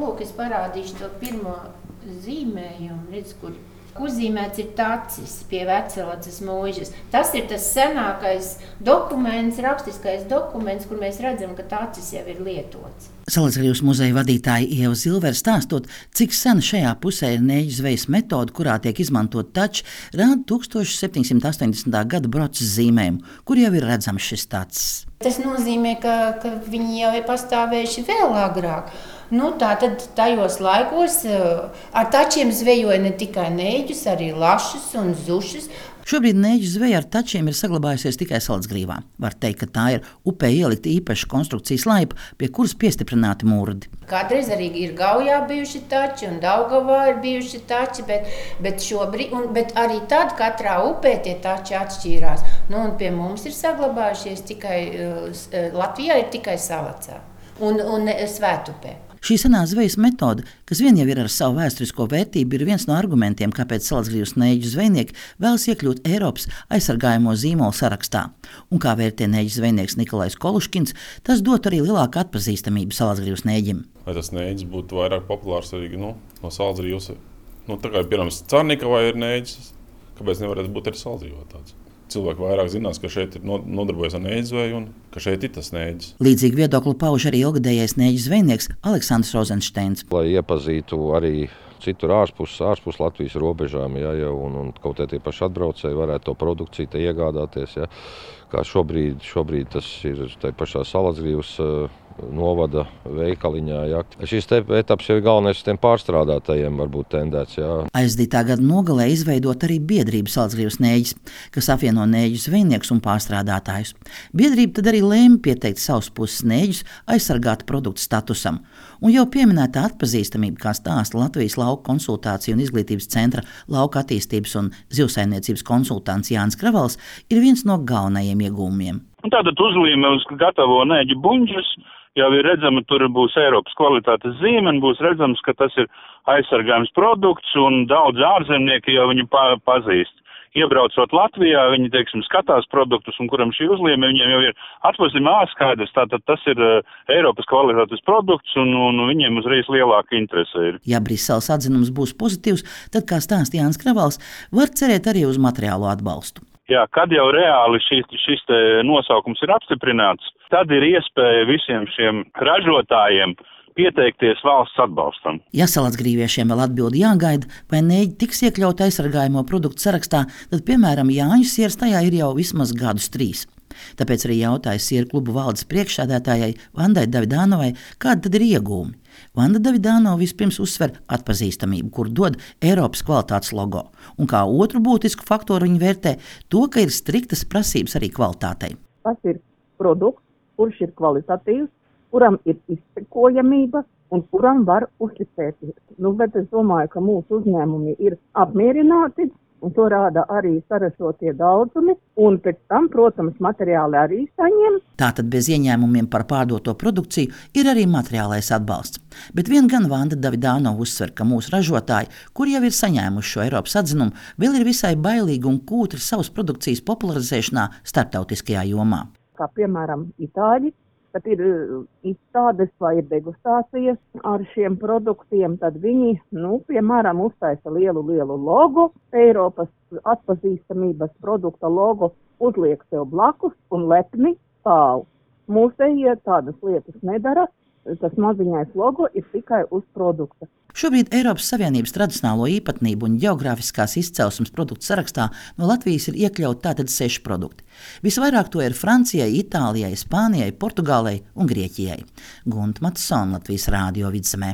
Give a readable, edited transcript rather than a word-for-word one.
lūk, es parādīšu to pirmo zīmējumu, redz, kur uzzīmēts ir tacis pie Vecelaces mūžas. Tas ir tas senākais dokuments, rakstiskais dokuments, kur mēs redzam, ka tacis jau ir lietots. Salacgrīvas muzeja vadītāja Ieva Zilvere stāstot, cik sen šajā pusē ir nēģu zvejas metode, kurā tiek izmantot tači, rāda 1780. gada broces zīmējumu, kur jau ir redzams šis tacis. Tas nozīmē, ka viņi jau ir pastāvējuši vēl agrāk. Tātad tajos laikos ar tačiem zvejoja ne tikai nēģus, arī lašus un zušus. Šobrīd nēģu zveja ar tačiem ir saglabājusies tikai Salacgrīvā. Var teikt, ka tā ir upē ielikta īpaša konstrukcijas laipa, pie kuras piestiprināti mūrdi. Kādreiz arī ir Gaujā bijuši tači un Daugavā ir bijuši tači, bet šobrīd, bet arī tad katrā upē tie tači atšķīrās. Un pie mums ir saglabājušies tikai, Latvijā ir tikai Salacā un Svētupē. Šī senā zvejas metode, kas vien jau ir ar savu vēsturisko vērtību, ir viens no argumentiem, kāpēc Salacgrīvas nēģu zvejnieki vēlas iekļūt Eiropas aizsargājamo zīmolu sarakstā. Un kā vērtē nēģu zvejnieks Nikolais Koluškins, tas dot arī lielāku atpazīstamību Salacgrīvas nēģim. Lai tas nēģis būtu vairāk populārs arī no Salacgrīvas, tā kā piemēram Carnikavā ir nēģis, kāpēc nevarētu būt arī Salacgrīvā tāds? Cilvēki vairāk zinās, ka šeit ir nodarbojas ar nēģu zveju un ka šeit ir tas nēģis. Līdzīgi viedokli pauž arī ilgadējais nēģu zvejnieks Aleksandrs Rozenšteins. Lai iepazītu arī citur ārpus Latvijas robežām, un kaut tie paši atbraucēji varētu to produkciju iegādāties. Ja. Kā šobrīd tas ir tai pašā Salacgrīvas novada veikaliņā. Ja. Šis etaps jau ir galvenais tiem pārstrādātajiem varbūt tendēts. Ja. Aizdītā gada nogalē izveidot arī biedrību Salacgrīvas nēģis, kas apvieno nēģu zvejniekus un pārstrādātājus. Biedrība tad arī lēma pieteikt savus puses nēģus aizsargāta produktu statusam. Un jau pieminētā atpazīstamība, kā stāsta Latvijas lauku konsultāciju un izglītības centra lauka attīstības un zivsaimniecības konsultants Jānis Kravals, ir viens no galvenajiem iegūmiem. Tātad uzlīme uz gatavo nēģu buņģus jau ir redzama, tur būs Eiropas kvalitātes zīme, un būs redzams, ka tas ir aizsargājums produkts, un daudz ārzemnieki jau viņu pazīst. Iebraucot Latvijā, viņi, skatās produktus, un kuram šī uzlīme, viņiem jau ir atpazīstama skaidrs, tātad tas ir Eiropas kvalitātes produkts, un viņiem uzreiz lielāka interese ir. Ja Briseles atzinums būs pozitīvs, tad, kā stāsta Jānis Kravals, var cerēt arī uz materiālo atbalstu. Jā, kad jau reāli šis nosaukums ir apstiprināts, tad ir iespēja visiem šiem ražotājiem pieteikties valsts atbalstam. Ja salacgrīviešiem vēl atbildi jāgaida, vai nēģi tiks iekļaut aizsargājamo produktu sarakstā, tad, piemēram, Jāņu sieras tajā ir jau vismaz gadus 3. Tāpēc arī jautāja sieru klubu valdes priekšsēdētājai Vandai Davidānovai, kāda tad ir iegūmi. Vanda Davidānova vispirms uzsver atpazīstamību, kur dod Eiropas kvalitātes logo, un kā otru būtisku faktoru viņi vērtē to, ka ir striktas prasības arī kvalitātei. Tas ir produkts, kurš ir kvalitatīvs, kuram ir izsekojamība un kuram var uzticēties. Bet es domāju, ka mūsu uzņēmumi ir apmierināti, un to rāda arī saražotie daudzumi, un pēc tam, protams, materiāli arī saņem. Tātad bez ieņēmumiem par pārdoto produkciju ir arī materiālais atbalsts. Bet vien gan Vanda Davidānova uzsver, ka mūsu ražotāji, kur jau ir saņēmuši šo Eiropas atzinumu, vēl ir visai bailīgi un kūtri savas produkcijas popularizēšanā starptautiskajā jomā. Kā piemēram Itāļi, kad ir izstādes vai ir degustācijas ar šiem produktiem, tad viņi, piemēram, uztaisa lielu logo, Eiropas atpazīstamības produkta logo, uzliek sev blakus un lepni stāv. Mūsējie tādas lietas nedara, tas maziņais logo ir tikai uz produkta. Šobrīd Eiropas Savienības tradicionālo īpatnību un geogrāfiskās izcelsmes produktu sarakstā no Latvijas ir iekļauti tātad 6 produkti. Visvairāk to ir Francijai, Itālijai, Spānijai, Portugālei un Grieķijai. Gunta Matsona, Latvijas Rādio Vidzemē.